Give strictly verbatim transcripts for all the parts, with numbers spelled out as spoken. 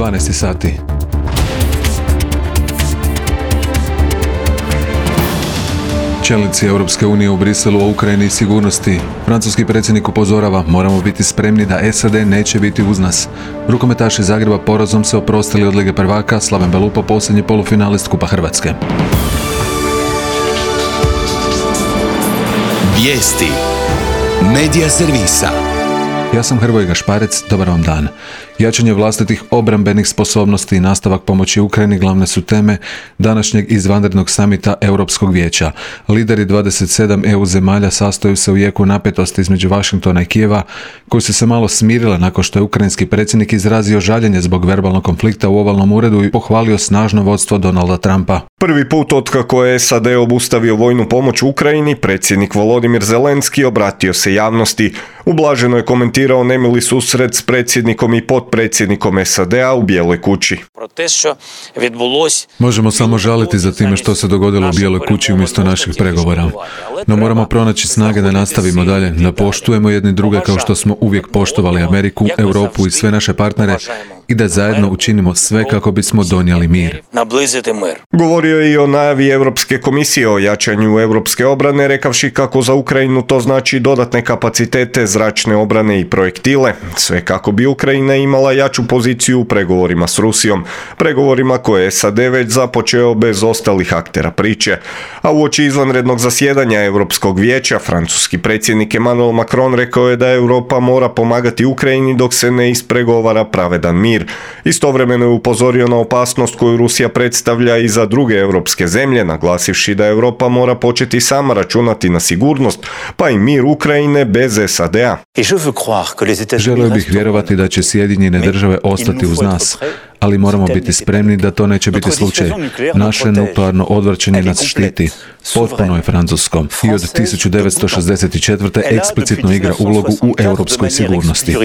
dvanaest sati. Čelnici Europske unije u Briselu o Ukrajini i sigurnosti. Francuski predsjednik upozorava, moramo biti spremni da S A D neće biti uz nas. Rukometaši Zagreba porazom se oprostili od Lige prvaka, Slaven Belupo posljednji polufinalist Kupa Hrvatske. Vijesti Medija servisa. Ja sam Hrvoje Gašparec, dobar vam dan. Jačanje vlastitih obrambenih sposobnosti i nastavak pomoći Ukrajini glavne su teme današnjeg izvanrednog samita Europskog vijeća. Lideri dvadeset sedam E U zemalja sastaju se u jeku napetosti između Washingtona i Kijeva, koji su se malo smirile nakon što je ukrajinski predsjednik izrazio žaljenje zbog verbalnog konflikta u ovalnom uredu i pohvalio snažno vodstvo Donalda Trumpa. Prvi put otkako je S A D obustavio vojnu pomoć Ukrajini, predsjednik Volodimir Zelenski obratio se javnosti. Ublaženo je komentirao nemili susret s predsjednikom i potpredsjednikom S A D-a u Bijeloj kući. Možemo samo žaliti za time što se dogodilo u Bijeloj kući umjesto naših pregovora. No moramo pronaći snage da nastavimo dalje, da poštujemo jedni druge kao što smo uvijek poštovali Ameriku, Europu i sve naše partnere i da zajedno učinimo sve kako bismo donijeli mir. Govorio je i o najavi Europske komisije o jačanju europske obrane, rekavši kako za Ukrajinu to znači dodatne kapacitete, zračne obrane i projektile, sve kako bi Ukrajina imala jaču poziciju u pregovorima s Rusijom, pregovorima koje je S A D već započeo bez ostalih aktera priče. A uoči izvanrednog zasjedanja Europskog vijeća, francuski predsjednik Emmanuel Macron rekao je da Europa mora pomagati Ukrajini dok se ne ispregovara pravedan mir. Istovremeno je upozorio na opasnost koju Rusija predstavlja i za druge europske zemlje, naglasivši da Europa mora početi sama računati na sigurnost, pa i mir Ukrajine bez S A D-a. Želio bih vjerovati da će Sjedinjene države ostati uz nas, ali moramo biti spremni da to neće biti slučaj. Naše nuklearno odvraćanje nas štiti. Potpuno je francusko i od tisuću devetsto šezdeset četvrte. eksplicitno igra ulogu u europskoj sigurnosti.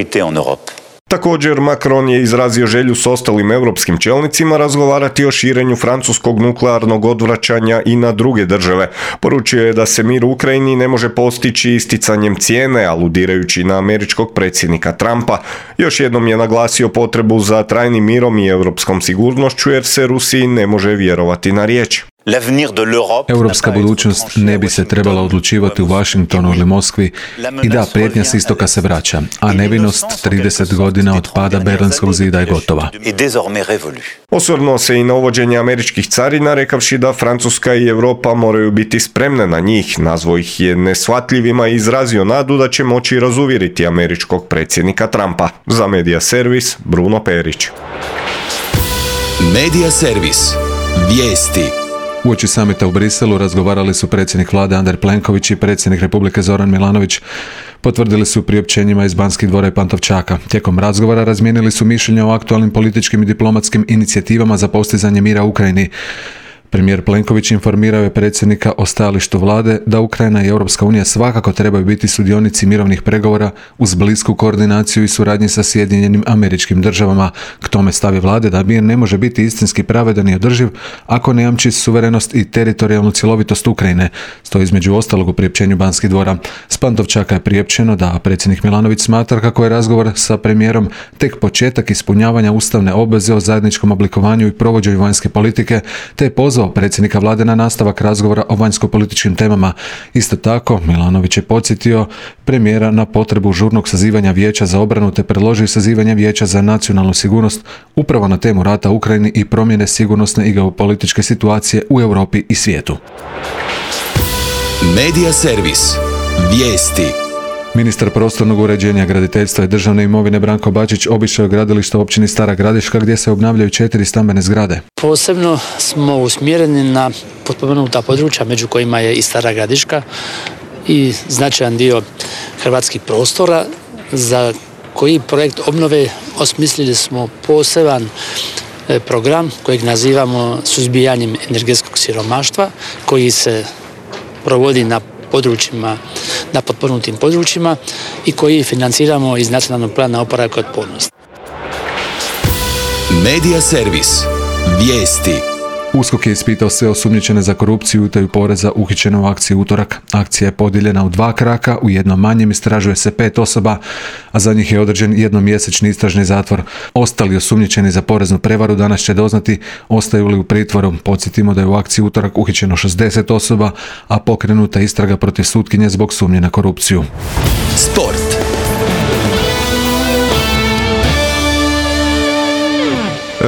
Također, Macron je izrazio želju s ostalim europskim čelnicima razgovarati o širenju francuskog nuklearnog odvraćanja i na druge države. Poručio je da se mir u Ukrajini ne može postići isticanjem cijene, aludirajući na američkog predsjednika Trumpa. Još jednom je naglasio potrebu za trajnim mirom i europskom sigurnošću jer se Rusiji ne može vjerovati na riječ. Europska budućnost ne bi se trebala odlučivati u Washingtonu ili Moskvi i da, prijetnja s istoka se vraća, a nevinost trideset godina od pada Berlinskog zida je gotova. Osvrnuo se i na uvođenje američkih carina, rekavši da Francuska i Europa moraju biti spremne na njih. Nazvao ih je neshvatljivima i izrazio nadu da će moći razuvjeriti američkog predsjednika Trumpa. Za Medija servis, Bruno Perić. Medija servis. Vijesti. Uoči samita u Briselu razgovarali su predsjednik vlade Andrej Plenković i predsjednik Republike Zoran Milanović. Potvrdili su priopćenjima iz Banskih dvora i Pantovčaka. Tijekom razgovora razmijenili su mišljenja o aktualnim političkim i diplomatskim inicijativama za postizanje mira u Ukrajini. Premijer Plenković informirao je predsjednika o stajalištu vlade da Ukrajina i Europska unija svakako trebaju biti sudionici mirovnih pregovora uz blisku koordinaciju i suradnji sa Sjedinjenim Američkim Državama. K tome stavi vlade da mir ne može biti istinski pravedan i održiv ako ne jamči suverenost i teritorijalnu cjelovitost Ukrajine. Stoji između ostalog u priopćenju Banskih dvora. S Pantovčaka je priopćeno da predsjednik Milanović smatra kako je razgovor sa premijerom tek početak ispunjavanja ustavne obveze o zajedničkom oblikovanju i provođenju vanjske politike, te je pozvao predsjednika vlade na nastavak razgovora o vanjsko-političkim temama. Isto tako, Milanović je podsjetio premijera na potrebu žurnog sazivanja Vijeća za obranu te predložio sazivanje Vijeća za nacionalnu sigurnost upravo na temu rata u Ukrajini i promjene sigurnosne i geopolitičke situacije u Europi i svijetu. Medija servis. Vijesti. Ministar prostornog uređenja, graditeljstva i državne imovine Branko Bačić obišao je gradilište u općini Stara Gradiška gdje se obnavljaju četiri stambene zgrade. Posebno smo usmjereni na potpomognuta područja među kojima je i Stara Gradiška i značajan dio hrvatskih prostora za koji projekt obnove osmislili smo poseban program kojeg nazivamo suzbijanjem energetskog siromaštva koji se provodi na područjima, na potpomognutim područjima i koji financiramo iz Nacionalnog plana oporavka i otpornosti. Medija servis. Vijesti. U S K O K je ispitao sve osumnjičene za korupciju i utaju poreza uhićene u akciji Utorak. Akcija je podijeljena u dva kraka, u jednom manjem istražuje se pet osoba, a za njih je određen jednomjesečni istražni zatvor. Ostali osumnjičeni za poreznu prevaru danas će doznati ostaju li u pritvoru. Podsjetimo da je u akciji Utorak uhićeno šezdeset osoba, a pokrenuta istraga protiv sutkinje zbog sumnje na korupciju. Sport.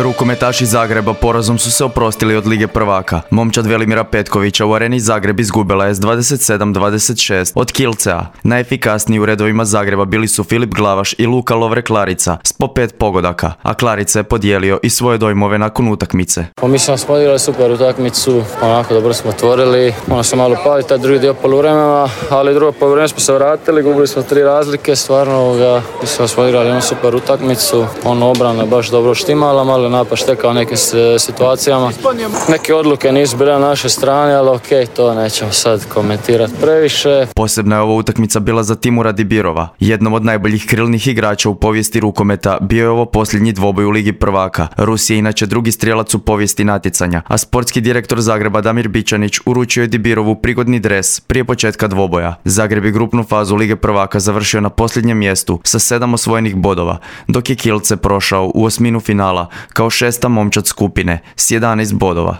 Rukometaši Zagreba porazom su se oprostili od Lige prvaka. Momčad Velimira Petkovića u Areni Zagreb izgubila je s dvadeset sedam dvadeset šest od Kielcea. Najefikasniji u redovima Zagreba bili su Filip Glavaš i Luka Lovre-Klarica s po pet pogodaka, a Klarica je podijelio i svoje dojmove nakon utakmice. Pa mislim da smo odigrali super utakmicu, onako dobro smo otvorili, ono se malo pali taj drugi dio poluvremena, ali drugo poluvreme smo se vratili, gubili smo tri razlike, stvarno ovoga, mislim da smo odigrali jednu super utakmicu, ono obrana je baš dobro štimala, malo napad štekao u nekim situacijama. Neke odluke nisu bile na našoj strani, ali ok, to nećemo sad komentirati previše. Posebna je ova utakmica bila za Timura Dibirova. Jednom od najboljih krilnih igrača u povijesti rukometa bio je ovo posljednji dvoboj u Ligi prvaka. Rus je inače drugi strijelac u povijesti natjecanja, a sportski direktor Zagreba Damir Bičanić uručio je Dibirovu prigodni dres prije početka dvoboja. Zagreb je grupnu fazu Lige prvaka završio na posljednjem mjestu sa sedam osvojenih bodova, dok je Kielce prošao u osminu finala kao šesta momčad skupine s jedanaest bodova.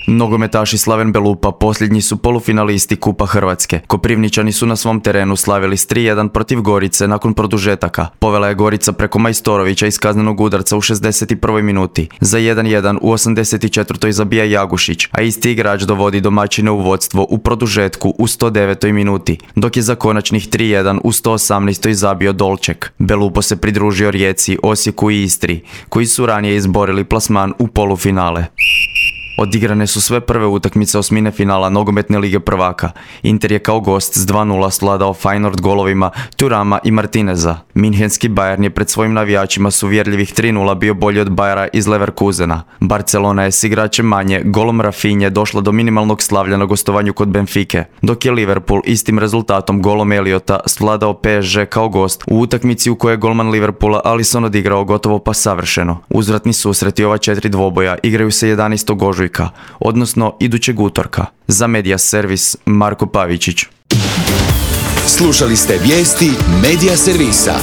Nogometaši Slaven Belupa posljednji su polufinalisti Kupa Hrvatske. Koprivničani su na svom terenu slavili s tri jedan protiv Gorice nakon produžetaka. Povela je Gorica preko Majstorovića iz kaznenog udarca u šezdeset prvoj minuti. Za jedan jedan u osamdeset četvrtoj zabija Jagušić, a isti igrač dovodi domaćine u vodstvo u produžetku u sto devetoj minuti, dok je za konačnih tri jedan u sto osamnaestoj zabio Dolček. Belupo se pridružio Rijeci, Osijeku i Istri, koji su ranije izborili plasman u polufinale. Odigrane su sve prve utakmice osmine finala Nogometne lige prvaka. Inter je kao gost s dva nula svladao Feyenoord golovima Thurama i Martineza. Minhenski Bayern je pred svojim navijačima s uvjerljivih tri nula bio bolji od Bayera iz Leverkusena. Barcelona je s igračem manje golom Rafinje došla do minimalnog slavlja na gostovanju kod Benfike, dok je Liverpool istim rezultatom golom Eliota svladao P S G kao gost u utakmici u kojoj je golman Liverpoola Alisson odigrao gotovo pa savršeno. Uzvratni susreti ova četiri dvoboja igraju se jedanaestog ožujka, odnosno idućeg utorka. Za Media Servis Marko Pavičić. Slušali ste vijesti Media Servisa.